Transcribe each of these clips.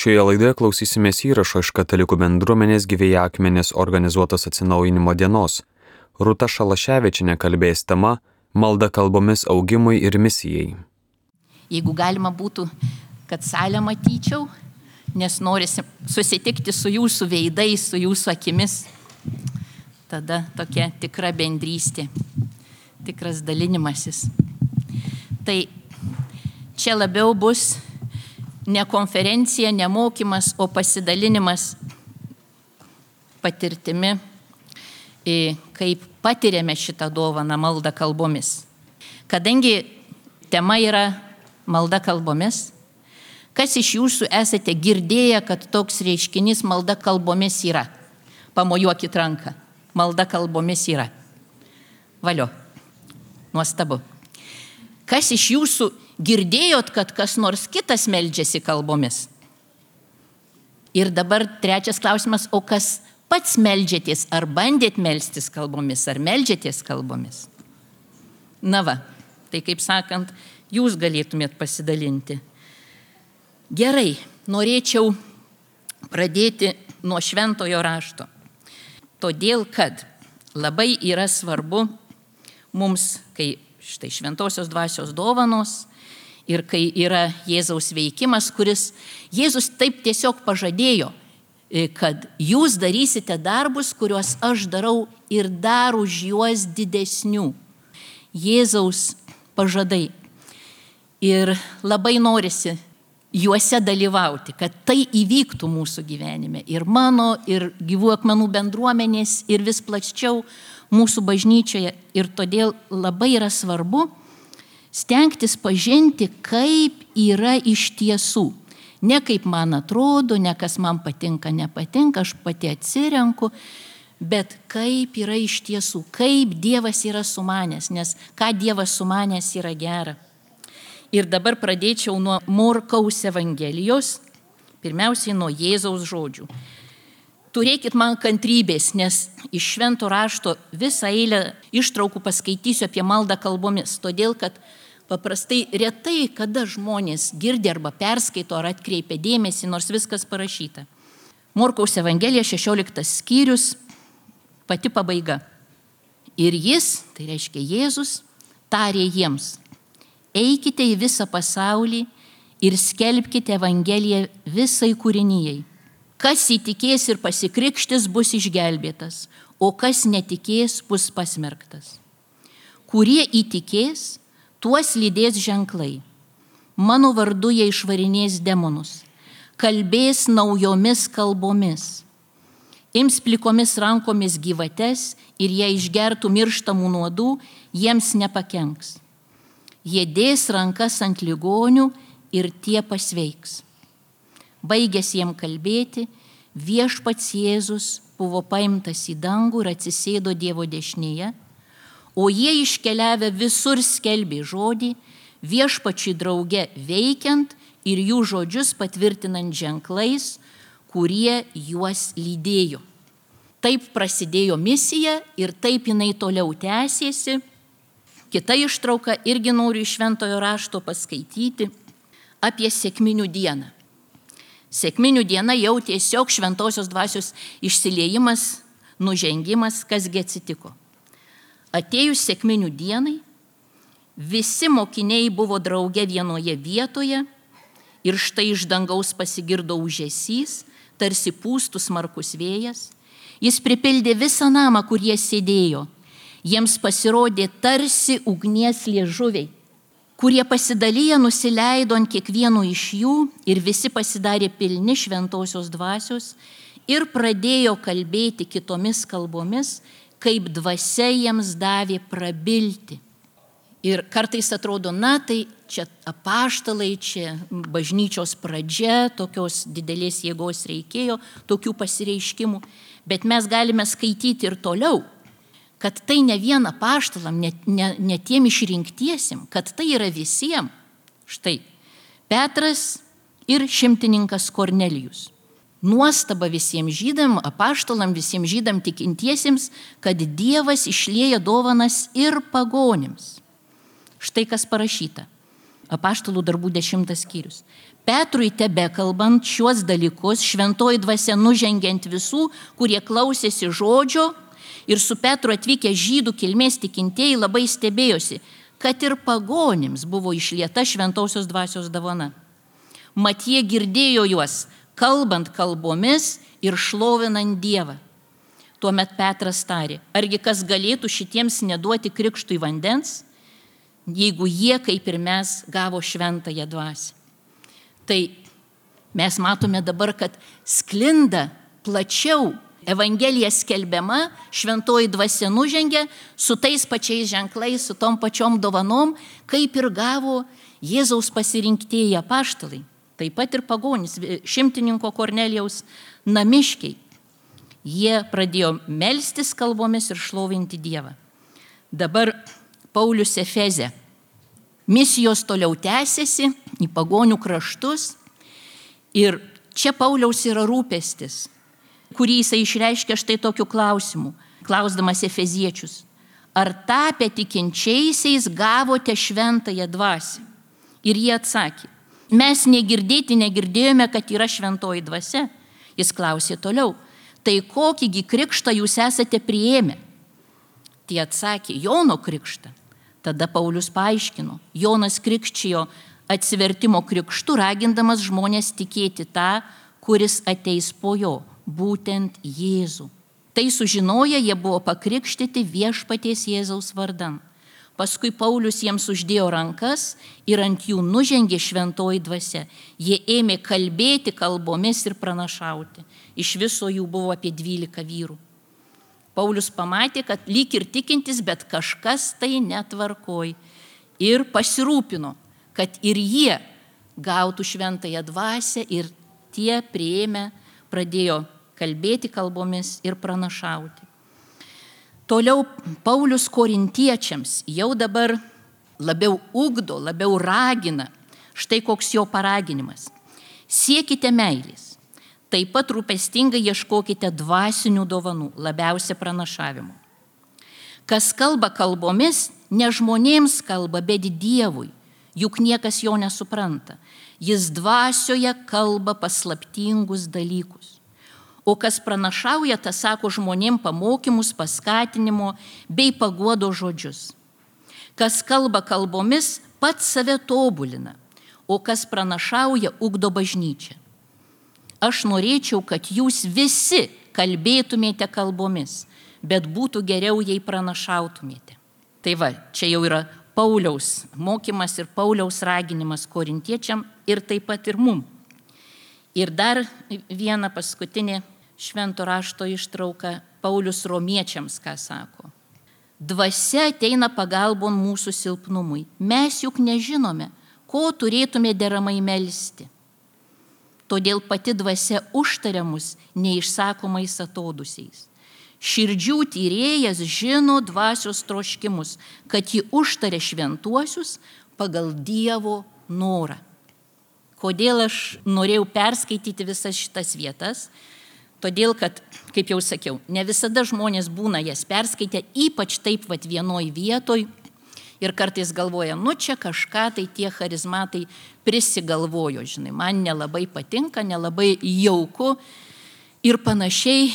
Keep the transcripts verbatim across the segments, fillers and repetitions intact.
Šioje laidoje klausysimės įrašo iš Katalikų bendruomenės Gyvieji akmenys organizuotos atsinaujinimo dienos. Rūta Šalaševičienė kalbės tema Malda kalbomis augimui ir misijai. Jeigu galima būtų, kad salę matyčiau, nes norisi susitikti su jūsų veidais, su jūsų akimis, tada tokia tikra bendrystė, tikras dalinimasis. Tai čia labiau bus ne konferencija, ne mokymas, o pasidalinimas patirtimi, kaip patiriame šitą dovaną maldą kalbomis. Kadangi tema yra malda kalbomis, kas iš jūsų esate girdėję, kad toks reiškinys malda kalbomis yra? Pamojuokit ranką. Malda kalbomis yra. Valio. Nuostabu. Kas iš jūsų girdėjot, kad kas nors kitas meldžiasi kalbomis? Ir dabar trečias klausimas, o kas pats meldžiatės, ar bandėt melstis kalbomis, ar meldžiatės kalbomis? Na va, tai kaip sakant, jūs galėtumėt pasidalinti. Gerai, norėčiau pradėti nuo šventojo rašto. Todėl, kad labai yra svarbu mums, kai štai šventosios dvasios dovanos ir kai yra Jėzaus veikimas, kuris Jėzus taip tiesiog pažadėjo, kad jūs darysite darbus, kuriuos aš darau ir dar už juos didesnių. Jėzaus pažadai. Ir labai norisi juose dalyvauti, kad tai įvyktų mūsų gyvenime. Ir mano, ir Gyvų akmenų bendruomenės, ir vis plačiau mūsų bažnyčioje. Ir todėl labai yra svarbu stengtis pažinti, kaip yra iš tiesų. Ne kaip man atrodo, ne kas man patinka, nepatinka, aš pati atsirenku, bet kaip yra iš tiesų, kaip Dievas yra sumanęs, nes ką Dievas sumanęs yra gera. Ir dabar pradėčiau nuo Morkaus Evangelijos, pirmiausiai nuo Jėzaus žodžių. Turėkit man kantrybės, nes iš švento rašto visą eilę ištraukų paskaitysiu apie maldą kalbomis, todėl kad paprastai retai, kada žmonės girdi arba perskaito ar atkreipia dėmesį, nors viskas parašyta. Morkaus Evangelija, šešioliktas skyrius, pati pabaiga. Ir jis, tai reiškia Jėzus, tarė jiems: eikite į visą pasaulį ir skelbkite Evangeliją visai kūrinijai. Kas įtikės ir pasikrikštis, bus išgelbėtas, o kas netikės, bus pasmerktas. Kurie įtikės, tuos lydės ženklai. Mano vardu jie išvarinės demonus, kalbės naujomis kalbomis, ims plikomis rankomis gyvates ir jie išgertų mirštamų nuodų, jiems nepakenks. Jie dės rankas ant ligonių ir tie pasveiks. Baigęs jiem kalbėti, viešpats Jėzus buvo paimtas į dangų ir atsisėdo Dievo dešinėje, o jie iškeliavę visur skelbė žodį, viešpačiui drauge veikiant ir jų žodžius patvirtinant ženklais, kurie juos lydėjo. Taip prasidėjo misija ir taip jinai toliau tęsėsi. Kita ištrauka irgi noriu iš šventojo rašto paskaityti apie sekminių dieną. Sekminių diena jau tiesiog šventosios dvasios išsiliejimas, nužengimas, kasgi atsitiko. Atėjus sekminių dienai, visi mokiniai buvo drauge vienoje vietoje ir štai iš dangaus pasigirdo ūžesys, tarsi pūstų smarkus vėjas. Jis pripildė visą namą, kur jie sėdėjo. Jiems pasirodė tarsi ugnies liežuviai, kurie pasidalyję nusileido ant kiekvieno iš jų ir visi pasidarė pilni šventosios dvasios ir pradėjo kalbėti kitomis kalbomis, kaip dvasia jiems davė prabilti. Ir kartais atrodo, na tai čia apaštalai, čia bažnyčios pradžia, tokios didelės jėgos reikėjo, tokių pasireiškimų, bet mes galime skaityti ir toliau, kad tai ne vien apaštalam, ne, ne, ne tiem išrinktiesim, kad tai yra visiems. Štai, Petras ir šimtininkas Kornelijus. Nuostaba visiems žydam, apaštalam, visiems žydam tikintiesiems, kad Dievas išlieja dovanas ir pagonims. Štai kas parašyta. Apaštalų darbų dešimtas skyrius. Petrui tebekalbant šiuos dalykus, šventoji dvasia nužengiant visų, kurie klausėsi žodžio, ir su Petru atvykę žydų kilmės tikintieji labai stebėjosi, kad ir pagonims buvo išlieta šventosios dvasios dovana. Mat jie girdėjo juos, kalbant kalbomis ir šlovinant Dievą. Tuomet Petras tarė, argi kas galėtų šitiems neduoti krikštui vandens, jeigu jie, kaip ir mes, gavo šventąją dvasią. Tai mes matome dabar, kad sklinda plačiau Evangelija skelbiama, šventoji dvasia nužengia su tais pačiais ženklais, su tom pačiom dovanom, kaip ir gavo Jėzaus pasirinktieji apaštalai. Taip pat ir pagonis, šimtininko Kornelijaus namiškiai. Jie pradėjo melstis kalbomis ir šlovinti Dievą. Dabar Paulius Efeze. Misijos toliau tęsiasi į pagonių kraštus ir čia Pauliaus yra rūpestis, kurį jisai išreiškia štai tokiu klausimu, klausdamas efeziečius. Ar tapę tikinčiaisiais gavote šventąją dvasią? Ir jie atsakė, mes negirdėti negirdėjome, kad yra šventoji dvasia. Jis klausė toliau, tai kokįgi krikštą jūs esate priėmę? Tie atsakė, Jono krikštą. Tada Paulius paaiškino, Jonas krikščijo atsivertimo krikštu, ragindamas žmonės tikėti tą, kuris ateis po jo, būtent Jėzų. Tai sužinoję, jie buvo pakrikštyti viešpaties Jėzaus vardan. Paskui Paulius jiems uždėjo rankas ir ant jų nužengė šventoji dvasia. Jie ėmė kalbėti kalbomis ir pranašauti. Iš viso jų buvo apie dvylika vyrų. Paulius pamatė, kad lyg ir tikintis, bet kažkas tai netvarkoj. Ir pasirūpino, kad ir jie gautų šventąją dvasią ir tie priėmę pradėjo kalbėti kalbomis ir pranašauti. Toliau Paulius korintiečiams jau dabar labiau ugdo, labiau ragina. Štai koks jo paraginimas. Siekite meilės. Taip pat rūpestingai ieškokite dvasinių dovanų, labiausia pranašavimo. Kas kalba kalbomis, ne žmonėms kalba, bet Dievui, juk niekas jo nesupranta. Jis dvasioje kalba paslaptingus dalykus. O kas pranašauja, tas sako žmonėm pamokymus, paskatinimo bei paguodo žodžius. Kas kalba kalbomis, pats save tobulina, o kas pranašauja, ugdo bažnyčią. Aš norėčiau, kad jūs visi kalbėtumėte kalbomis, bet būtų geriau, jei pranašautumėte. Tai va, čia jau yra Pauliaus mokymas ir Pauliaus raginimas korintiečiam ir taip pat ir mum. Ir dar viena paskutinė švento rašto ištrauka Paulius romiečiams, ką sako. Dvasia ateina pagalbon mūsų silpnumui. Mes juk nežinome, ko turėtume deramai melsti. Todėl pati dvasia užtaria mus neišsakomais atodusiais. Širdžių tyrėjas žino dvasios troškimus, kad ji užtaria šventuosius pagal Dievo norą. Kodėl aš norėjau perskaityti visas šitas vietas? Todėl, kad, kaip jau sakiau, ne visada žmonės būna jas perskaitę, ypač taip vat vienoj vietoj. Ir kartais galvoja, nu čia kažką tai tie charizmatai prisigalvojo, žinai, man nelabai patinka, nelabai jauku ir panašiai,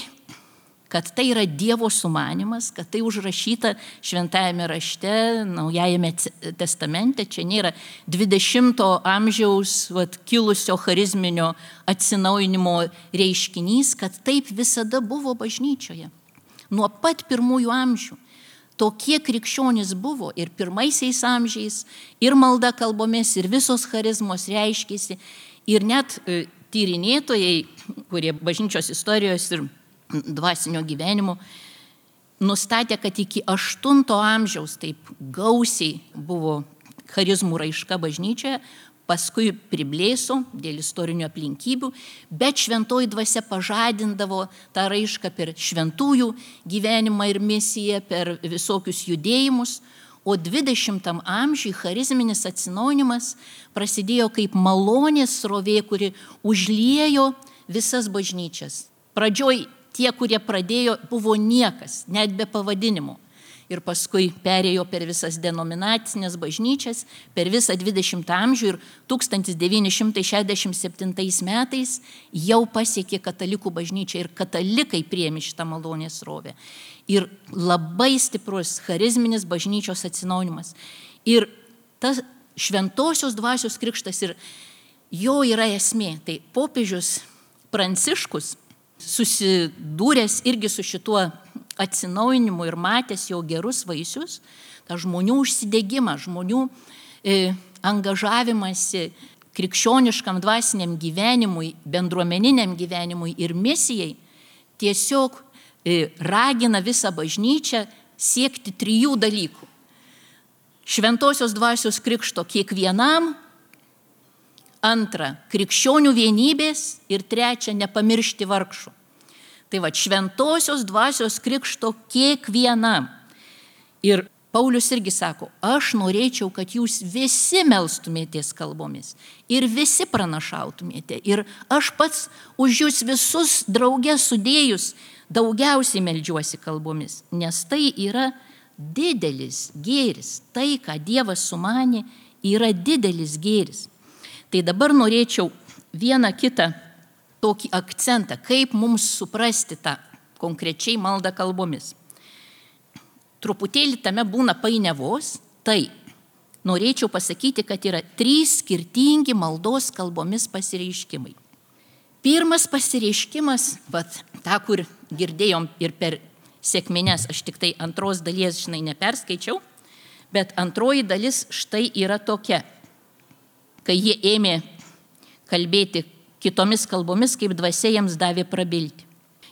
kad tai yra Dievo sumanymas, kad tai užrašyta šventajame rašte, Naujajame testamente, čia nėra dvidešimto amžiaus vat, kilusio charizminio atsinaujinimo reiškinys, kad taip visada buvo bažnyčioje. Nuo pat pirmųjų amžių. Tokie krikščionys buvo ir pirmaisiais amžiais, ir malda kalbomis, ir visos charizmos reiškėsi. Ir net tyrinėtojai, kurie bažnyčios istorijos ir dvasinio gyvenimo, nustatė, kad iki aštunto amžiaus taip gausiai buvo charizmų raiška bažnyčioje, paskui priblėso dėl istorinių aplinkybių, bet šventoji dvasia pažadindavo tą raišką per šventųjų gyvenimą ir misiją, per visokius judėjimus, o dvidešimtam amžiui charizminis atsinaujinimas prasidėjo kaip malonės srovė, kuri užliejo visas bažnyčias. Pradžioj tie, kurie pradėjo, buvo niekas, net be pavadinimo. ir paskui perėjo per visas denominacinės bažnyčias, per visą dvidešimtą amžių ir tūkstantis devyni šimtai šešiasdešimt septintais metais jau pasiekė katalikų bažnyčią ir katalikai priėmė šitą malonės srovę. Ir labai stiprus charizminis bažnyčios atsinaujinimas. Ir tas šventosios dvasios krikštas ir jo yra esmė. Tai popiežius Pranciškus susidūręs irgi su šituo atsinaujinimu ir matęs jo gerus vaisius, tą žmonių užsidegimą, žmonių e, angažavimąsi krikščioniškam dvasiniam gyvenimui, bendruomeniniam gyvenimui ir misijai, tiesiog e, ragina visą bažnyčią siekti trijų dalykų. Šventosios dvasios krikšto kiekvienam, antra, krikščionių vienybės ir trečia, nepamiršti vargšų. Tai va, šventosios dvasios krikšto kiekvienam. Ir Paulius irgi sako, aš norėčiau, kad jūs visi melstumėtės kalbomis ir visi pranašautumėte. Ir aš pats už jūs visus drauge sudėjus daugiausiai meldžiuosi kalbomis, nes tai yra didelis gėris. Tai, ką Dievas sumanė, yra didelis gėris. Tai dabar norėčiau vieną kitą tokį akcentą, kaip mums suprasti tą konkrečiai maldą kalbomis. Truputėlį tame būna painiavos, tai norėčiau pasakyti, kad yra trys skirtingi maldos kalbomis pasireiškimai. Pirmas pasireiškimas, vat, tą, kur girdėjom ir per sekmines, aš tik tai antros dalies, žinai, neperskaičiau, bet antroji dalis štai yra tokia. Kai jie ėmė kalbėti kitomis kalbomis, kaip dvasia jiems davė prabilti.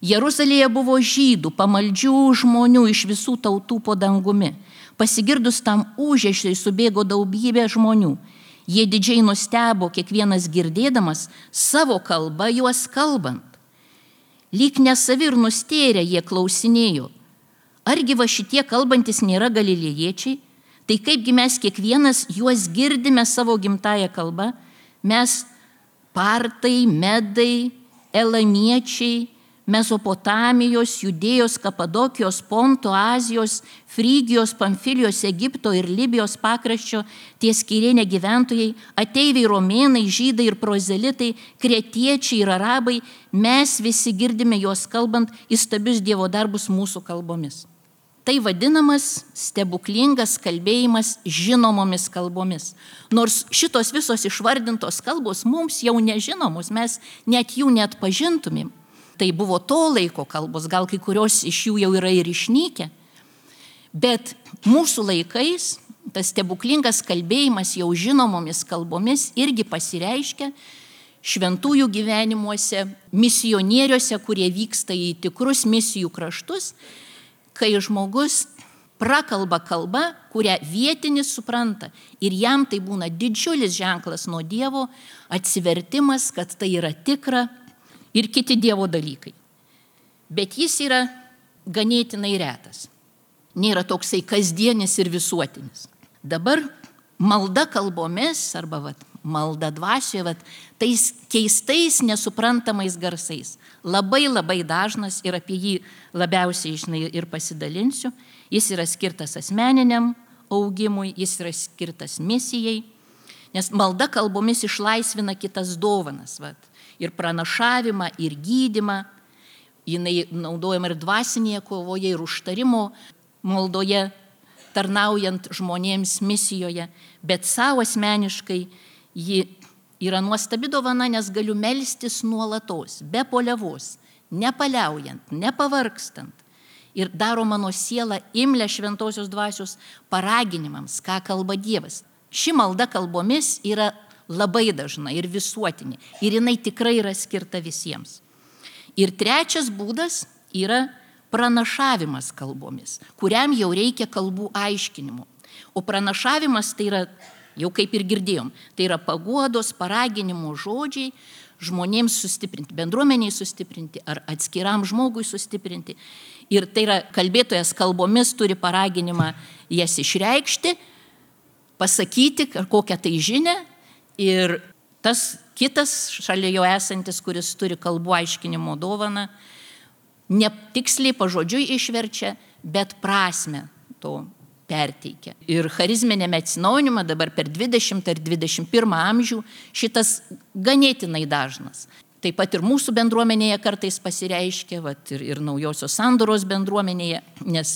Jeruzalėje buvo žydų, pamaldžių žmonių iš visų tautų po dangumi. Pasigirdus tam ūžesiui subėgo daugybė žmonių. Jie didžiai nustebo, kiekvienas girdėdamas savo kalbą juos kalbant. Lyg nesavi ir nustėrę jie klausinėjo. Argi va šitie kalbantis nėra galilėjiečiai? Tai kaipgi mes kiekvienas juos girdime savo gimtąją kalbą, mes partai, medai, elamiečiai, Mesopotamijos, Judėjos, Kapadokijos, Ponto, Azijos, Frygijos, Pamfilijos, Egipto ir Libijos pakraščio, ties Kirėne gyventojai, ateiviai, romėnai, žydai ir prozelitai, kretiečiai ir arabai, mes visi girdime juos kalbant įstabius Dievo darbus mūsų kalbomis. Tai vadinamas stebuklingas kalbėjimas žinomomis kalbomis. Nors šitos visos išvardintos kalbos mums jau nežinomos, mes net jų net pažintumėm. Tai buvo to laiko kalbos, gal kai kurios iš jų jau yra ir išnykę. Bet mūsų laikais tas stebuklingas kalbėjimas jau žinomomis kalbomis irgi pasireiškia šventųjų gyvenimuose, misionieriuose, kurie vyksta į tikrus misijų kraštus, kai žmogus prakalba kalbą, kurią vietinis supranta ir jam tai būna didžiulis ženklas nuo Dievo, atsivertimas, kad tai yra tikra ir kiti Dievo dalykai. Bet jis yra ganėtinai retas. Nėra toksai kasdienis ir visuotinis. Dabar malda kalbomis arba vat, malda dvasioje, vat, tais keistais, nesuprantamais garsais. Labai labai dažnas ir apie jį labiausiai žinai, ir pasidalinsiu. Jis yra skirtas asmeniniam augimui, jis yra skirtas misijai, nes malda kalbomis išlaisvina kitas dovanas. Vat. Ir pranašavimą, ir gydymą. Jinai naudojama ir dvasinėje kovoje, ir užtarimo maldoje, tarnaujant žmonėms misijoje. Bet savo asmeniškai ji yra nuostabi dovana, nes galiu melstis nuolatos, be poliavos, nepaliaujant, nepavargstant. Ir daro mano sielą imlią šventosios dvasios paraginimams, ką kalba Dievas. Ši malda kalbomis yra labai dažna ir visuotinė. Ir jinai tikrai yra skirta visiems. Ir trečias būdas yra pranašavimas kalbomis, kuriam jau reikia kalbų aiškinimų. O pranašavimas tai yra, jau kaip ir girdėjom, tai yra paguodos, paraginimo žodžiai žmonėms sustiprinti, bendruomeniai sustiprinti ar atskiram žmogui sustiprinti. Ir tai yra kalbėtojas kalbomis turi paraginimą jas išreikšti, pasakyti kokią tai žinią. Ir tas kitas šalia jo esantis, kuris turi kalbų aiškinimo dovaną, ne tiksliai pažodžiui išverčia, bet prasme to perteikia. Ir charizminėme atsinaujinime dabar per dvidešimtą ir dvidešimt pirmą amžių šitas ganėtinai dažnas. Taip pat ir mūsų bendruomenėje kartais pasireiškia, vat, ir, ir naujosios sandoros bendruomenėje, nes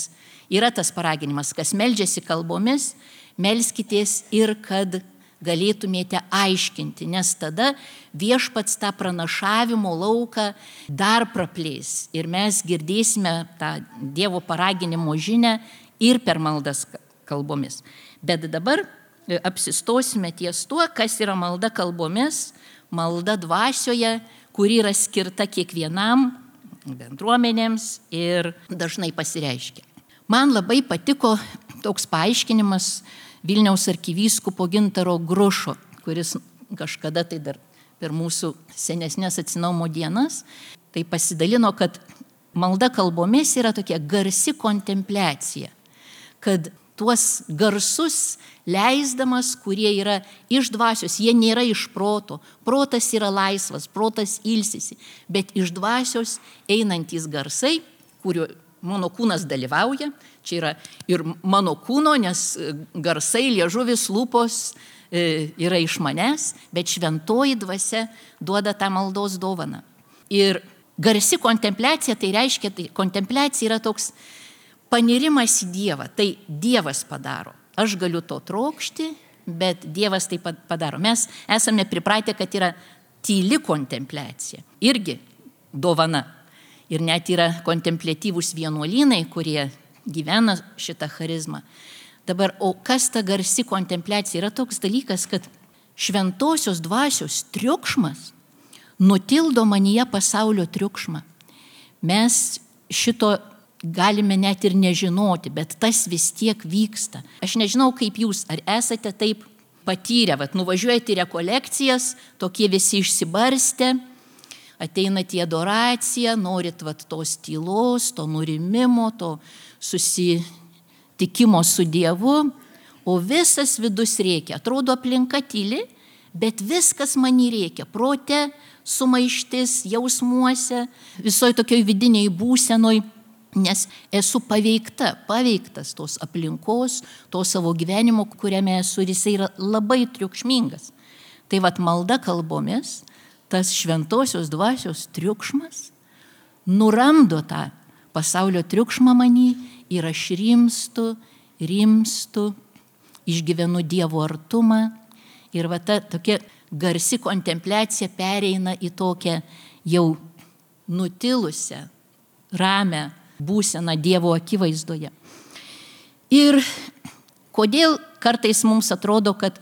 yra tas paraginimas, kas meldžiasi kalbomis, melskitės ir kad galėtumėte aiškinti, nes tada viešpats tą pranašavimo lauką dar praplės ir mes girdėsime tą Dievo paraginimo žinią ir per maldas kalbomis. Bet dabar apsistosime ties tuo, kas yra malda kalbomis, malda dvasioje, kuri yra skirta kiekvienam bendruomenėms ir dažnai pasireiškia. Man labai patiko toks paaiškinimas Vilniaus arkivyskupo Gintaro Grušo, kuris kažkada tai dar per mūsų senesnės atsinaumo dienas, tai pasidalino, kad malda kalbomis yra tokia garsi kontempliacija, kad tuos garsus leisdamas, kurie yra iš dvasios, jie nėra iš proto, protas yra laisvas, protas ilsisi, bet iš dvasios einantys garsai, kurio mano kūnas dalyvauja, čia yra ir mano kūno, nes garsai, liežuvis, lūpos e, yra iš manęs, bet šventoji dvasia duoda tą maldos dovaną. Ir garsi kontempliacija, tai reiškia, tai kontempliacija yra toks panirimas į Dievą, tai Dievas padaro. Aš galiu to trokšti, bet Dievas tai padaro. Mes esame pripratę, kad yra tyli kontempliacija, irgi dovana. Ir net yra kontempliatyvūs vienuolynai, kurie gyvena šitą charizmą. Dabar, o kas ta garsi kontempliacija? Yra toks dalykas, kad šventosios dvasios triukšmas nutildo manyje pasaulio triukšmą. Mes šito galime net ir nežinoti, bet tas vis tiek vyksta. Aš nežinau, kaip jūs, ar esate taip patyrę, vat, nuvažiuojate į rekolekcijas, tokie visi išsibarstę, ateinat į adoraciją, norit vat, tos tylos, to nurimimo, to susitikimo su Dievu, o visas vidus rėkia. Atrodo aplinka tyli, bet viskas man rėkia. Prote, sumaištis, jausmuose, visoje tokioj vidiniai būsenoj, nes esu paveikta, paveiktas tos aplinkos, to savo gyvenimo, kuriame esu, ir jisai yra labai triukšmingas. Tai vat malda kalbomis, tas šventosios dvasios triukšmas nuramdo tą pasaulio triukšmą manį ir aš rimstu, rimstu, išgyvenu Dievo artumą ir va ta tokia garsi kontempliacija pereina į tokią jau nutilusią, ramią būseną Dievo akivaizdoje. Ir kodėl kartais mums atrodo, kad,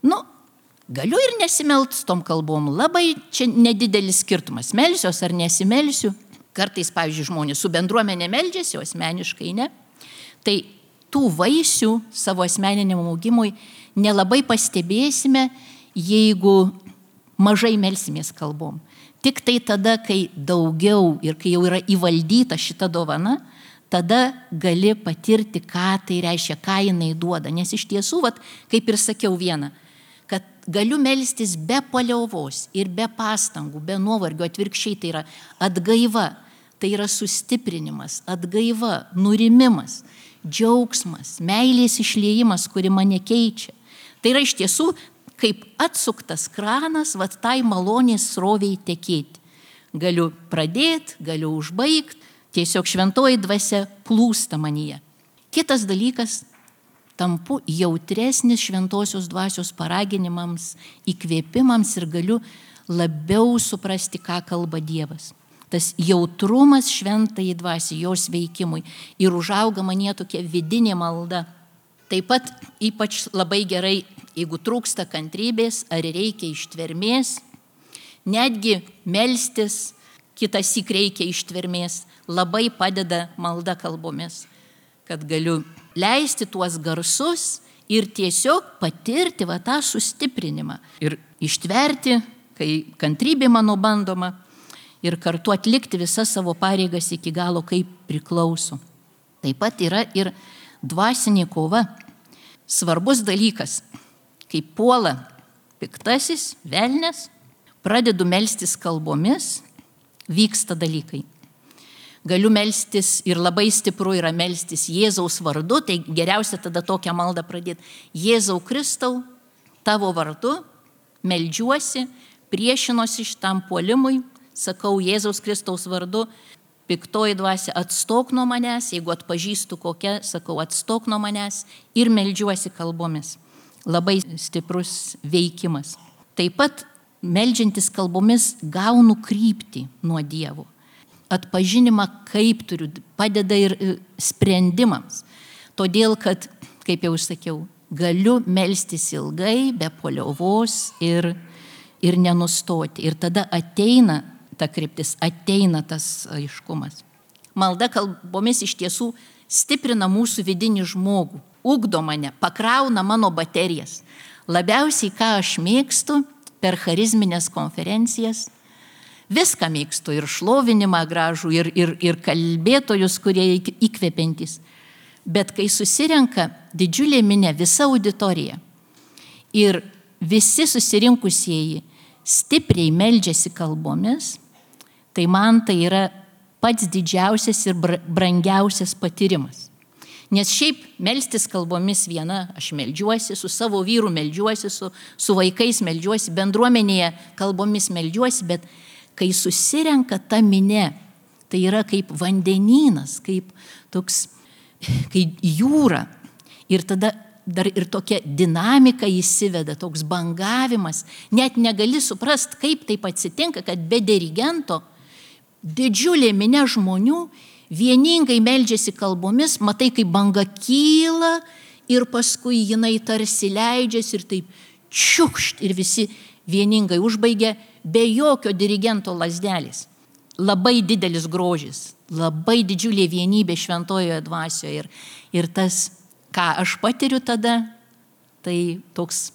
nu, galiu ir nesimelt tom kalbom, labai čia nedidelis skirtumas, melsiuos ar nesimelsiu. Kartais, pavyzdžiui, žmonės su bendruomenė meldžiasi, o asmeniškai ne. Tai tų vaisių savo asmeniniam augimui nelabai pastebėsime, jeigu mažai melsimės kalbom. Tik tai tada, kai daugiau ir kai jau yra įvaldyta šita dovana, tada gali patirti, ką tai reiškia, ką jinai duoda. Nes iš tiesų, vat, kaip ir sakiau vieną, kad galiu melstis be paliauvos ir be pastangų, be nuovargio, atvirkščiai tai yra atgaiva, tai yra sustiprinimas, atgaiva, nurimimas, džiaugsmas, meilės išliejimas, kuri mane keičia. Tai yra iš tiesų kaip atsuktas kranas, vat tai malonės sroviai tekėti. Galiu pradėti, galiu užbaigti, tiesiog šventoji dvasia plūsta manyje. Kitas dalykas, tampu jautresnis šventosios dvasios paraginimams, įkvėpimams ir galiu labiau suprasti, ką kalba Dievas. Tas jautrumas šventai dvasiai, jos veikimui ir užauga manyje tokia vidinė malda. Taip pat ypač labai gerai, jeigu trūksta kantrybės ar reikia ištvermės, netgi melstis, kitas syk reikia ištvermės, labai padeda malda kalbomis, kad galiu leisti tuos garsus ir tiesiog patirti va tą sustiprinimą ir ištverti, kai kantrybė mano bandoma ir kartu atlikti visas savo pareigas iki galo, kaip priklauso. Taip pat yra ir dvasinė kova. Svarbus dalykas, kai puola piktasis, velnias, pradedu melstis kalbomis, vyksta dalykai. galiu melstis ir labai stipru yra melstis Jėzaus vardu, tai geriausia tada tokią maldą pradėti. Jėzau Kristau, tavo vardu meldžiuosi, priešinuosi šitam puolimui, sakau Jėzaus Kristaus vardu, piktoji dvasia, atstok nuo manęs, jeigu atpažįstu kokią, sakau atstok nuo manęs ir meldžiuosi kalbomis. Labai stiprus veikimas. Taip pat meldžiantis kalbomis gaunu kryptį nuo Dievo. Atpažinimą, kaip turiu, padeda ir sprendimams. Todėl, kad, kaip jau sakiau, galiu melstis ilgai, be paliovos ir, ir nenustoti. Ir tada ateina ta kryptis, ateina tas aiškumas. Malda kalbomis iš tiesų stiprina mūsų vidinį žmogų, ugdo mane, pakrauna mano baterijas. Labiausiai, ką aš mėgstu per charizminės konferencijas, viską mėgstu, ir šlovinimą gražų, ir, ir, ir kalbėtojus, kurie įkvepiantys. Bet kai susirenka didžiulė minė, visa auditorija, ir visi susirinkusieji stipriai meldžiasi kalbomis, tai man tai yra pats didžiausias ir brangiausias patyrimas. Nes šiaip melstis kalbomis viena, aš meldžiuosi, su savo vyru meldžiuosi, su, su vaikais meldžiuosi, bendruomenėje kalbomis meldžiuosi, bet kai susirenka ta minė, tai yra kaip vandenynas, kaip toks, kaip jūra. Ir tada dar ir tokia dinamika įsiveda, toks bangavimas. Net negali suprast, kaip taip atsitinka, kad be dirigento didžiulė minė žmonių vieningai meldžiasi kalbomis, matai, kaip banga kyla ir paskui jinai tarsi leidžiasi ir taip čiukšt ir visi vieningai užbaigia be jokio dirigento lazdelės. Labai didelis grožis, labai didžiulė vienybė šventojoje dvasioje ir, ir tas, ką aš patiriu tada, tai toks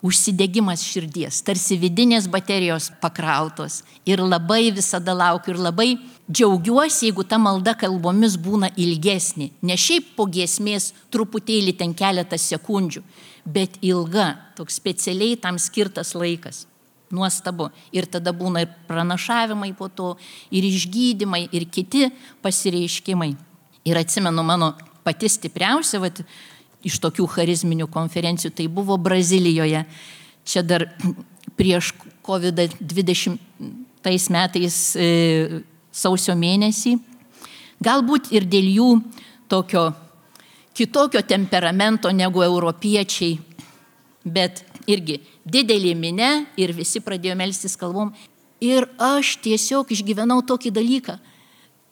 užsidegimas širdies, tarsi vidinės baterijos pakrautos ir labai visada laukiu ir labai džiaugiuosi, jeigu ta malda kalbomis būna ilgesnė, ne šiaip po giesmės truputėlį ten keletas sekundžių, bet ilga, toks specialiai tam skirtas laikas. Nuostabu. Ir tada būna ir pranašavimai po to, ir išgydymai, ir kiti pasireiškimai. Ir atsimenu mano pati stipriausia, vat, iš tokių charizminių konferencijų, tai buvo Brazilijoje. Čia dar prieš kovid dvidešimtais metais e, sausio mėnesį. Galbūt ir dėl jų tokio kitokio temperamento negu europiečiai, bet irgi didelė minė ir visi pradėjo melstis kalbom. Ir aš tiesiog išgyvenau tokį dalyką.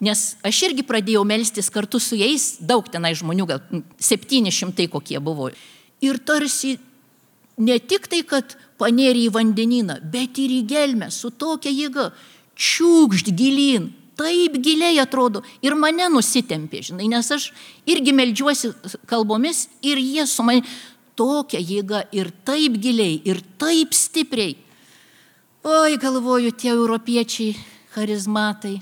Nes aš irgi pradėjau melstis kartu su jais, daug tenai žmonių, gal septyni šimtai kokie buvo. Ir tarsi ne tik tai, kad panėrė į vandenyną, bet ir į gelmę su tokia jėga, čiūkšt gilyn, taip giliai atrodo ir mane nusitempė, žinai, nes aš irgi meldžiuosi kalbomis ir jie su manimi tokia jėga ir taip giliai, ir taip stipriai. Oi, galvoju, tie europiečiai, charizmatai.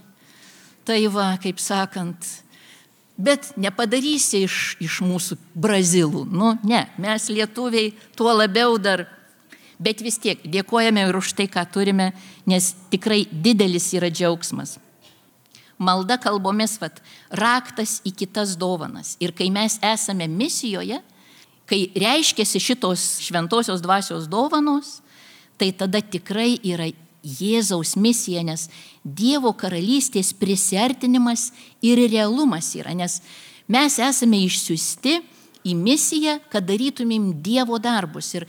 Tai va, kaip sakant, bet nepadarysi iš, iš mūsų brazilų. Nu, ne, mes lietuviai tuo labiau dar, bet vis tiek dėkojame ir už tai, ką turime, nes tikrai didelis yra džiaugsmas. Malda kalbomis, vat, raktas į kitas dovanas. Ir kai mes esame misijoje, kai reiškiasi šitos šventosios dvasios dovanos, tai tada tikrai yra Jėzaus misija, nes Dievo karalystės prisiartinimas ir realumas yra, nes mes esame išsiųsti į misiją, kad darytumėm Dievo darbus ir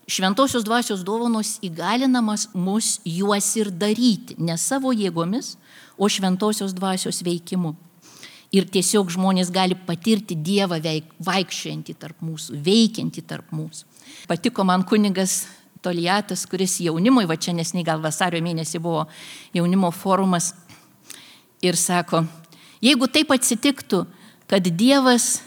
šventosios dvasios dovanos įgalinamas mus juos ir daryti, ne savo jėgomis, o šventosios dvasios veikimu. Ir tiesiog žmonės gali patirti Dievą veik, vaikščiojantį tarp mūsų, veikiantį tarp mūsų. Patiko man kunigas Toliatas, kuris jaunimui, va čia nesnei gal vasario mėnesį buvo jaunimo forumas ir sako, jeigu taip atsitiktų, kad Dievas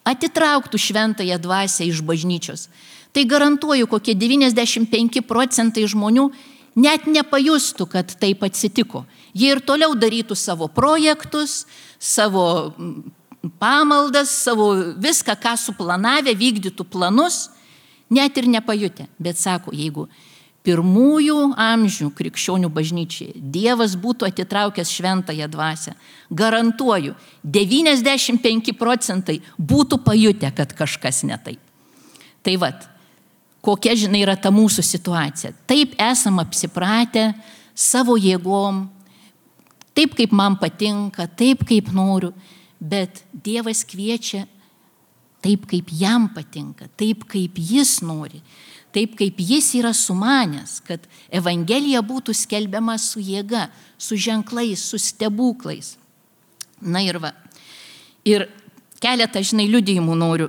atitrauktų šventąją dvasią iš bažnyčios, tai garantuoju, kokie devyniasdešimt penki procentai žmonių net nepajustų, kad taip atsitiko. Jie ir toliau darytų savo projektus, savo pamaldas, savo viską, ką suplanavę, vykdytų planus, net ir nepajutę. Bet sako, jeigu pirmųjų amžių krikščionių bažnyčiai Dievas būtų atitraukęs šventąją dvasią, garantuoju, devyniasdešimt penki procentai būtų pajutę, kad kažkas ne taip. Tai vat, kokia, žinai, yra ta mūsų situacija. Taip esam apsipratę savo jėgom, taip kaip man patinka, taip kaip noriu, bet Dievas kviečia taip, kaip jam patinka, taip, kaip jis nori. Taip kaip jis yra sumanęs, kad Evangelija būtų skelbiama su jėga, su ženklais, su stebuklais. Na ir va. Ir keletą, žinai, liudijimų noriu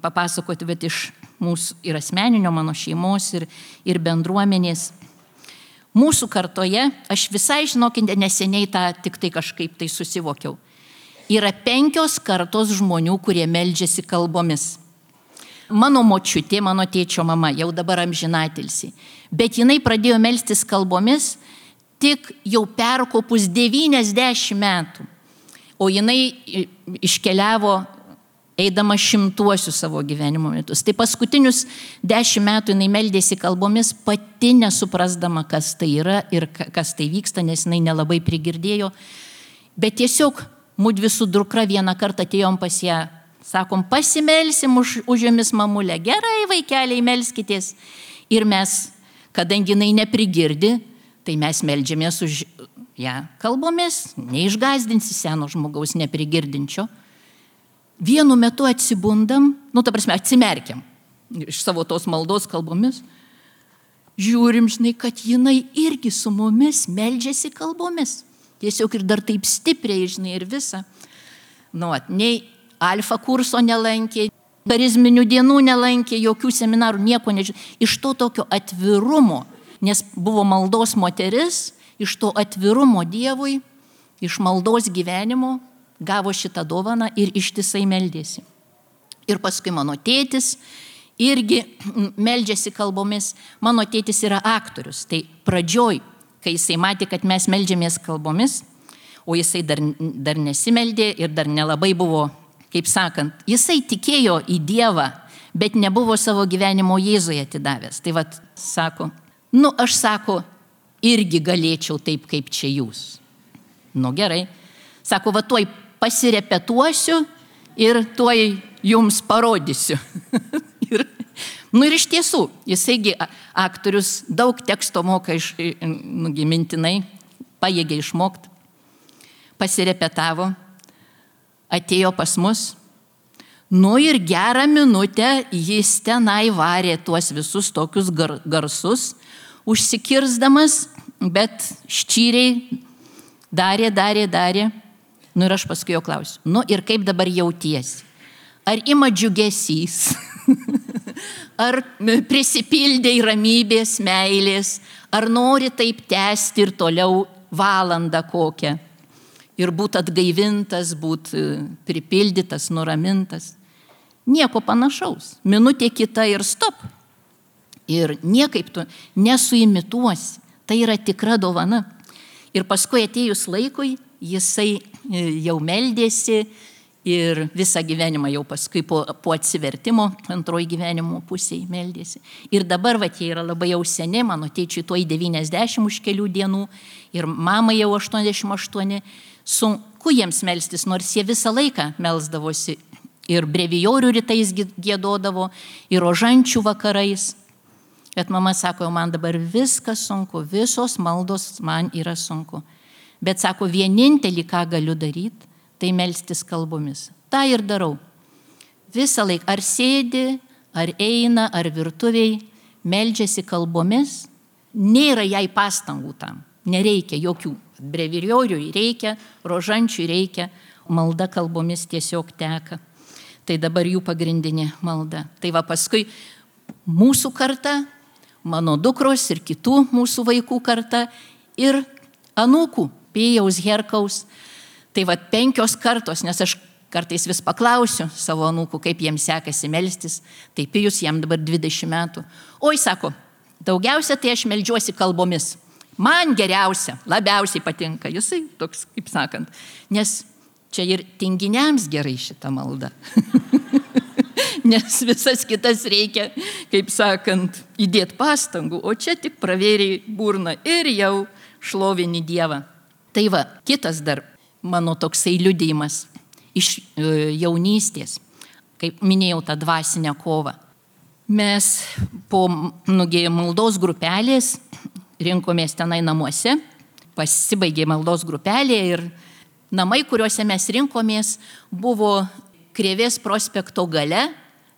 papasakoti, bet iš mūsų ir asmeninio mano šeimos, ir, ir bendruomenės. Mūsų kartoje, aš visai, žinokite, neseniai tą tik tai kažkaip tai susivokiau. Yra penkios kartos žmonių, kurie meldžiasi kalbomis. Mano močiutė, mano tėčio mama, jau dabar amžinatilsi, bet jinai pradėjo melstis kalbomis tik jau perkopus devyniasdešimt metų, o jinai iškeliavo eidama šimtuosius savo gyvenimo metus. Tai paskutinius dešimt metų jinai meldėsi kalbomis, pati nesuprasdama, kas tai yra ir kas tai vyksta, nes jinai nelabai prigirdėjo, bet tiesiog mudvi su dukra vieną kartą atėjom pas ją. Sakom, pasimelsim už, už jomis mamulę. Gerai, vaikeliai, melskitės. Ir mes, kadangi jinai neprigirdi, tai mes meldžiamės už ją ja, kalbomis, neišgazdinsi seno žmogaus neprigirdinčio. Vienu metu atsibundam, nu, ta prasme, atsimerkiam iš savo tos maldos kalbomis. Žiūrim, žinai, kad jinai irgi su mumis meldžiasi kalbomis. Tiesiog ir dar taip stipriai, žinai, ir visa. Nu, at, nei alfa kurso nelankė, charizminių dienų nelankė, jokių seminarų, nieko nežinau. Iš to tokio atvirumo, nes buvo maldos moteris, iš to atvirumo Dievui, iš maldos gyvenimo gavo šitą dovaną ir ištisai meldėsi. Ir paskui mano tėtis irgi meldžiasi kalbomis. Mano tėtis yra aktorius. Tai pradžioj, kai jisai matė, kad mes meldžiamės kalbomis, o jisai dar, dar nesimeldė ir dar nelabai buvo, kaip sakant, jisai tikėjo į Dievą, bet nebuvo savo gyvenimo Jėzuje atidavęs. Tai vat, sako, nu aš sako, irgi galėčiau taip, kaip čia jūs. Nu gerai. Sako, va tuoj pasirepetuosiu ir tuoj jums parodysiu. ir, nu ir iš tiesų, jisaigi aktorius daug teksto moka iš, nugi mintinai, pajėgė išmokti, pasirepetavo, atėjo pas mus, nu ir gerą minutę jis tenai varė tuos visus tokius gar, garsus, užsikirsdamas, bet ščyriai darė, darė, darė. Nu ir aš paskui jo klausiu, nu ir kaip dabar jautiesi? Ar ima džiugesys? Ar prisipildė ramybės, meilės? Ar nori taip tęsti ir toliau valandą kokią? Ir būt atgaivintas, būt pripildytas, nuramintas. Nieko panašaus. Minutė kita ir stop. Ir niekaip tu nesuimituosi. Tai yra tikra dovana. Ir paskui atėjus laikui, jisai jau meldėsi ir visą gyvenimą jau paskui po, po atsivertimo antroji gyvenimo pusėje meldėsi. Ir dabar va, jie yra labai jau seni, mano tėčiui tuoj devyniasdešimt už kelių dienų ir mamai jau aštuoniasdešimt aštuoni. Sunku jiems melstis, nors jie visą laiką melsdavosi ir brevijorių rytais giedodavo, ir rožančių vakarais. Bet mama sako, man dabar viskas sunku, visos maldos man yra sunku. Bet sako, vienintelį, ką galiu daryti, tai melstis kalbomis. Ta ir darau. Visą laiką, ar sėdi, ar eina, ar virtuviai, meldžiasi kalbomis, nėra jai pastangų tam, nereikia jokių. Brevijoriui reikia, rožančiui reikia, malda kalbomis tiesiog teka. Tai dabar jų pagrindinė malda. Tai va paskui mūsų karta, mano dukros ir kitų mūsų vaikų karta ir anūkų, Pijaus, Herkaus. Tai va penkios kartos, nes aš kartais vis paklausiu savo anūkų, kaip jiems sekasi melstis. Tai Pijus jam dabar dvidešimt metų. Oi, sako, daugiausia tai aš meldžiuosi kalbomis. Man geriausia, labiausiai patinka. Jisai toks, kaip sakant, nes čia ir tinginiams gerai šita malda. nes visas kitas reikia, kaip sakant, įdėti pastangų, o čia tik pravėrė burną ir jau šlovini Dievą. Tai va, kitas dar mano toksai liudijimas iš jaunystės, kaip minėjau, tą dvasinę kovą. Mes po nugi maldos grupelės rinkomės tenai namuose, pasibaigė maldos grupelė ir namai, kuriuose mes rinkomės, buvo Krėvės prospekto gale,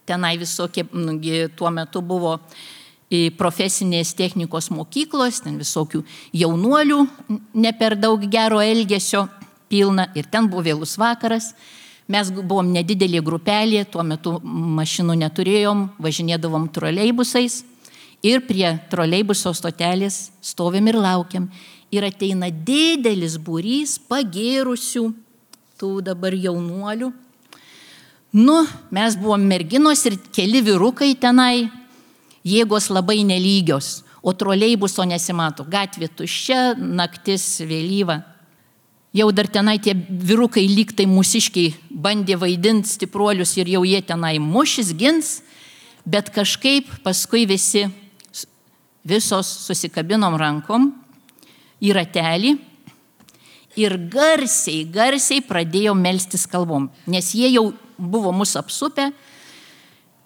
tenai visokie, nugi tuo metu buvo profesinės technikos mokyklos, ten visokių jaunuolių, ne per daug gero elgesio pilna ir ten buvo vėlus vakaras. Mes buvom nedidelė grupelė, tuo metu mašinų neturėjom, važinėdavom troleibusais ir prie troleibuso stotelės stovim ir laukiam. Ir ateina didelis būrys pagėrusių tų dabar jaunuolių. Nu, mes buvom merginos ir keli vyrukai tenai, jėgos labai nelygios, o troleibuso nesimato. Gatvė tuščia, naktis vėlyva. Jau dar tenai tie vyrukai lygtai mūsiškiai bandė vaidinti stipruolius ir jau jie tenai mušis, gins, bet kažkaip paskui visi, visos susikabinom rankom į ratelį ir garsiai, garsiai pradėjo melstis kalbom, nes jie jau buvo mus apsupę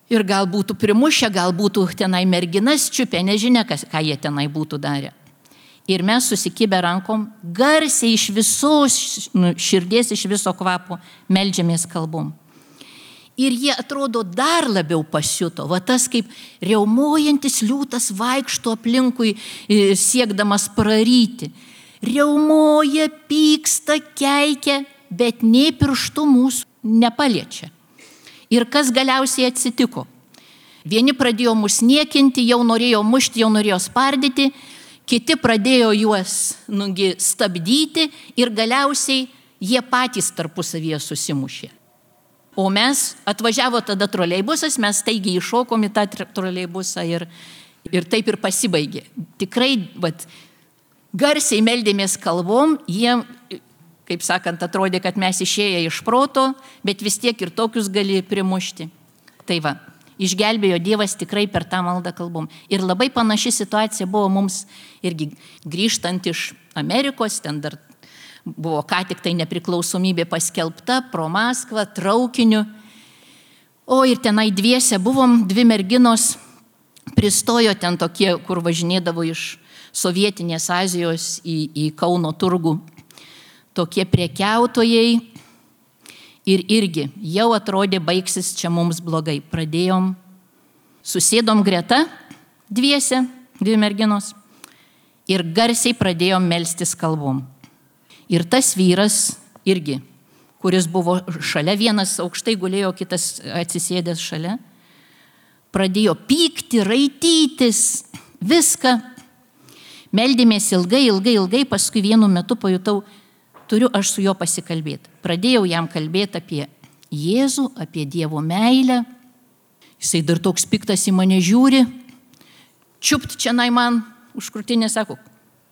ir gal būtų primušę, gal būtų tenai merginas čiupę, nežinia, kas, ką jie tenai būtų darę. Ir mes susikibę rankom, garsiai iš visos nu, širdies, iš viso kvapo meldžiamės kalbom. Ir jie atrodo dar labiau pasiuto, va tas kaip riaumojantis liūtas vaikšto aplinkui siekdamas praryti. Riaumoja, pyksta, keikia, bet nei pirštų mūsų nepaliečia. Ir kas galiausiai atsitiko? Vieni pradėjo mus niekinti, jau norėjo mušti, jau norėjo spardyti, kiti pradėjo juos nugi stabdyti ir galiausiai jie patys tarpusavyje susimušė. O mes, atvažiavo tada troleibusas, mes taigi iššokom į tą troleibusą ir, ir taip ir pasibaigė. Tikrai, bet garsiai meldėmės kalbom, jie, kaip sakant, atrodė, kad mes išėję iš proto, bet vis tiek ir tokius gali primušti. Tai va, išgelbėjo Dievas tikrai per tą maldą kalbom. Ir labai panaši situacija buvo mums irgi grįžtant iš Amerikos, ten dar buvo ką tik tai nepriklausomybė paskelbta pro Maskvą, traukiniu. O ir tenai dviese buvom, dvi merginos pristojo ten tokie, kur važinėdavo iš Sovietinės Azijos į, į Kauno turgų. Tokie prekiautojai ir irgi jau atrodė baigsis čia mums blogai. Pradėjom, susėdom greta dviese, dvi merginos ir garsiai pradėjom melstis kalbom. Ir tas vyras irgi, kuris buvo šalia, vienas aukštai gulėjo, kitas atsisėdęs šalia, pradėjo pykti, raitytis, viską. Meldėmės ilgai, ilgai, ilgai, paskui vienu metu pajutau, turiu aš su juo pasikalbėti. Pradėjau jam kalbėti apie Jėzų, apie Dievo meilę. Jisai dar toks piktas į mane žiūri. Čiupt čia nai man už krūtinės, sako,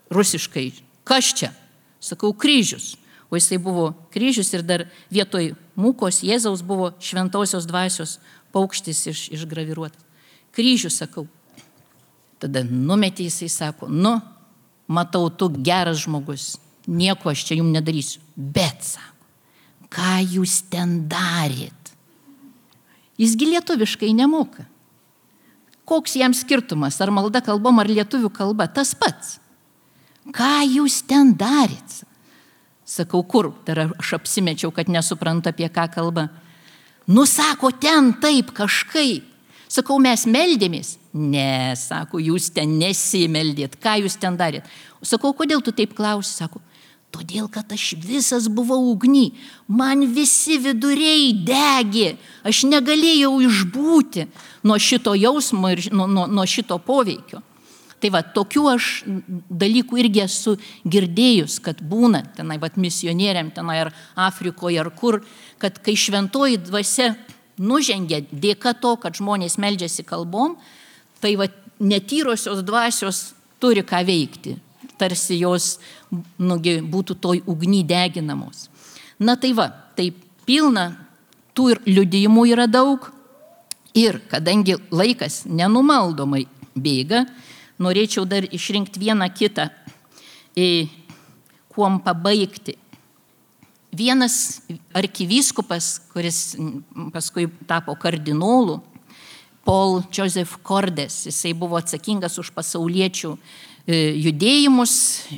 rusiškai, kas čia? Sakau, kryžius. O jisai buvo kryžius ir dar vietoj mūkos Jėzaus buvo šventosios dvasios paukštis iš, išgraviruotas. Kryžius, sakau. Tada numetė jisai, sako, nu, matau, tu geras žmogus, nieko aš čia jums nedarysiu. Bet, sako, ką jūs ten darėt? Jisgi lietuviškai nemoka. Koks jam skirtumas, ar malda kalbom, ar lietuvių kalba, tas pats. Ką jūs ten darėt? Sakau, kur? Dar aš apsimečiau, kad nesuprantu, apie ką kalba. Nu, sako, ten taip kažkaip. Sakau, mes meldėmės. Ne, sako, jūs ten nesimeldėt. Ką jūs ten darėt? Sakau, kodėl tu taip klausi? Sako, todėl, kad aš visas buvau ugny. Man visi viduriai degė. Aš negalėjau išbūti nuo šito jausmo ir nuo, nuo, nuo šito poveikio. Tai va, tokių aš dalykų irgi esu girdėjus, kad būna tenai, va, misionieriam tenai ar Afrikoje ar kur, kad kai šventoji dvasia nužengia dėka to, kad žmonės meldžiasi kalbom, tai va, netyrosios dvasios turi ką veikti, tarsi jos nugi, būtų toj ugny deginamos. Na tai va, tai pilna, tų ir liudijimų yra daug, Ir kadangi laikas nenumaldomai bėga, norėčiau dar išrinkti vieną kitą, kuom pabaigti. Vienas arkivyskupas, kuris paskui tapo kardinolu, Paul Joseph Cordes, jisai buvo atsakingas už pasauliečių judėjimus,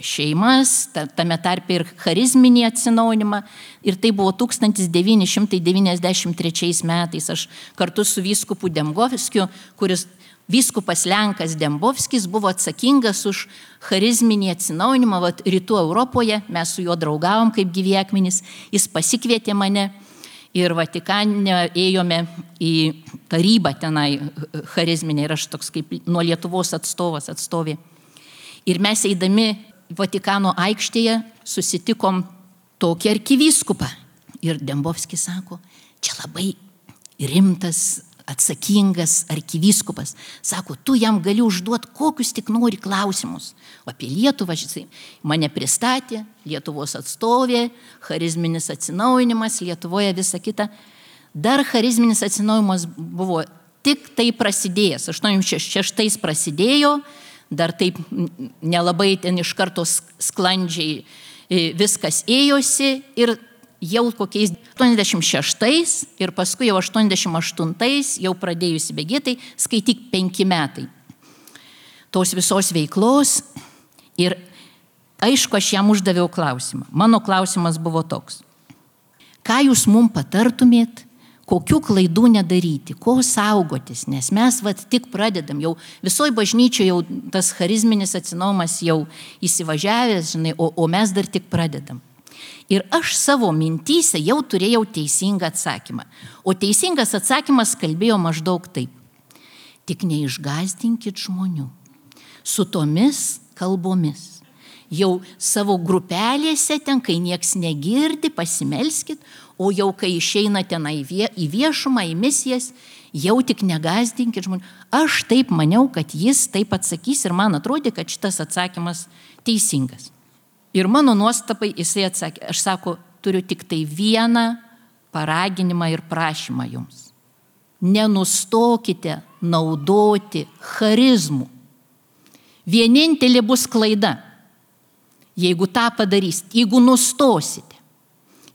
šeimas, tame tarpe ir charizminį atsinaujinimą. Ir tai buvo tūkstantis devyni šimtai devyniasdešimt trečiais metais. Aš kartu su vyskupu Dembovskiu, kuris vyskupas Lenkas Dembovskis buvo atsakingas už charizminį atsinaujinimą. Vat rytų Europoje mes su juo draugavom kaip gyvi akmenys. Jis pasikvietė mane ir Vatikane ėjome į tarybą tenai charizminę ir aš toks kaip nuo Lietuvos atstovas atstovė. Ir mes eidami Vatikano aikštėje susitikom tokį arkivyskupą. Ir Dembovskis sako, čia labai rimtas, atsakingas arkivyskupas. Sako, tu jam gali užduoti kokius tik nori klausimus. O apie Lietuvą jisai mane pristatė, Lietuvos atstovė, charizminis atsinaujinimas, Lietuvoje visa kita. Dar charizminis atsinaujinimas buvo tik tai prasidėjęs. aštuoniasdešimt šeštais prasidėjo, dar taip nelabai ten iš karto sklandžiai viskas ėjosi ir jau kokiais aštuoniasdešimt šeštais ir paskui jau aštuoniasdešimt aštuntais jau pradėjusi bėgėtai, skaityk penki metai tos visos veiklos. Ir aišku, aš jam uždaviau klausimą. Mano klausimas buvo toks. Ką jūs mums patartumėt, kokių klaidų nedaryti, ko saugotis, nes mes vat tik pradedam, jau visoje bažnyčioje jau tas charizminis atsinaujimas jau įsivažiavęs, žinai, o, o mes dar tik pradedam. Ir aš savo mintyse jau turėjau teisingą atsakymą. O teisingas atsakymas kalbėjo maždaug taip. Tik neišgąsdinkit žmonių su tomis kalbomis. Jau savo grupelėse ten, kai nieks negirdi, pasimelskit, o jau kai išeina ten į viešumą, į misijas, jau tik negąsdinkit žmonių. Aš taip maniau, kad jis taip atsakys ir man atrodė, kad šitas atsakymas teisingas. Ir mano nuostabai jisai atsakė, aš sako, turiu tik tai vieną paraginimą ir prašymą jums. Nenustokite naudoti charizmų. Vienintelė bus klaida. Jeigu tą padarysite, jeigu nustosite,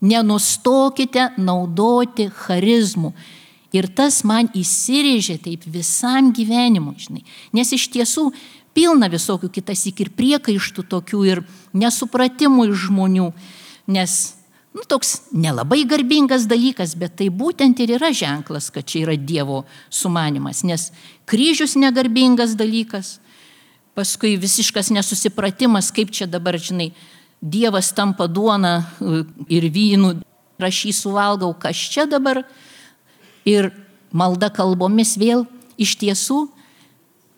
nenustokite naudoti charizmų. Ir tas man įsirėžė taip visam gyvenimui, žinai. Nes iš tiesų pilna visokių kitas ir priekaištų tokių ir nesupratimų iš žmonių. Nes nu, toks nelabai garbingas dalykas, bet tai būtent ir yra ženklas, kad čia yra Dievo sumanimas. Nes kryžius negarbingas dalykas. Paskui visiškas nesusipratimas, kaip čia dabar, žinai, Dievas tampa duona ir vynų, aš jį suvalgau, kas čia dabar. Ir malda kalbomis vėl, iš tiesų,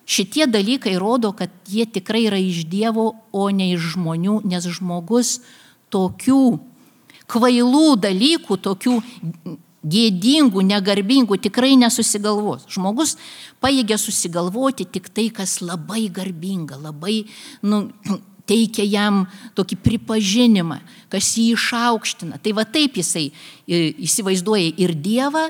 šitie dalykai rodo, kad jie tikrai yra iš Dievo, o ne iš žmonių, nes žmogus tokių kvailų dalykų, tokių gėdingų, negarbingų tikrai nesusigalvos. Žmogus pajėgia susigalvoti tik tai, kas labai garbinga, labai nu, teikia jam tokį pripažinimą, kas jį išaukština. Tai va taip jisai įsivaizduoja ir Dievą,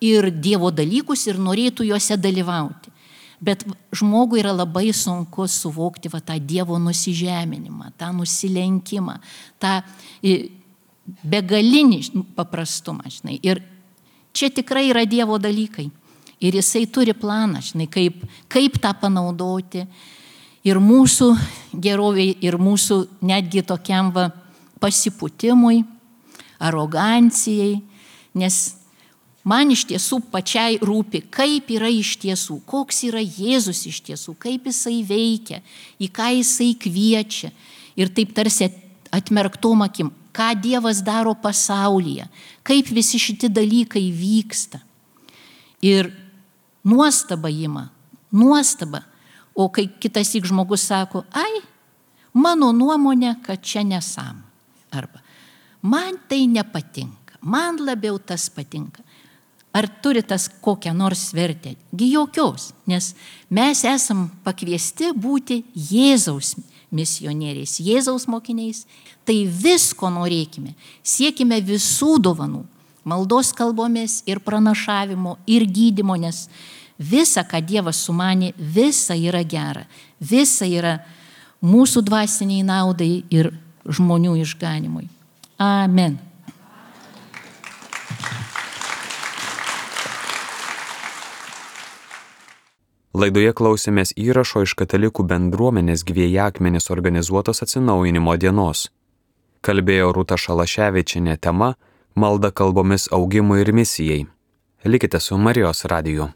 ir Dievo dalykus ir norėtų juose dalyvauti. Bet žmogui yra labai sunku suvokti va, tą Dievo nusižeminimą, tą nusilenkimą, tą begalinį paprastumą. Žinai. Ir čia tikrai yra Dievo dalykai. Ir jisai turi planą, žinai, kaip, kaip tą panaudoti. Ir mūsų geroviai, ir mūsų netgi tokiam va, pasipūtimui, arogancijai. Nes man iš tiesų pačiai rūpi, kaip yra iš tiesų, koks yra Jėzus iš tiesų, kaip jisai veikia, į ką jisai kviečia. Ir taip tarsi atmerktom akim, ką Dievas daro pasaulyje, kaip visi šitie dalykai vyksta. Ir nuostaba ima, nuostaba. O kai kitas įk žmogus sako, ai, mano nuomonė, kad čia nesam. Arba, man tai nepatinka, man labiau tas patinka. Ar turi tas kokią nors vertę? Gi jokios, nes mes esam pakviesti būti Jėzaus misionieriais, Jėzaus mokiniais. Tai visko norėkime, siekime visų dovanų, maldos kalbomis, ir pranašavimo, ir gydymo, nes visa, ką Dievas sumanė, visa yra gera. Visa yra mūsų dvasiniai naudai ir žmonių išganimui. Amen. Laidoje klausėmės įrašo iš Katalikų bendruomenės Gyvieji akmenys organizuotos atsinaujinimo dienos. Kalbėjo Rūta Šalaševičienė tema Malda kalbomis augimui ir misijai. Likite su Marijos radiju.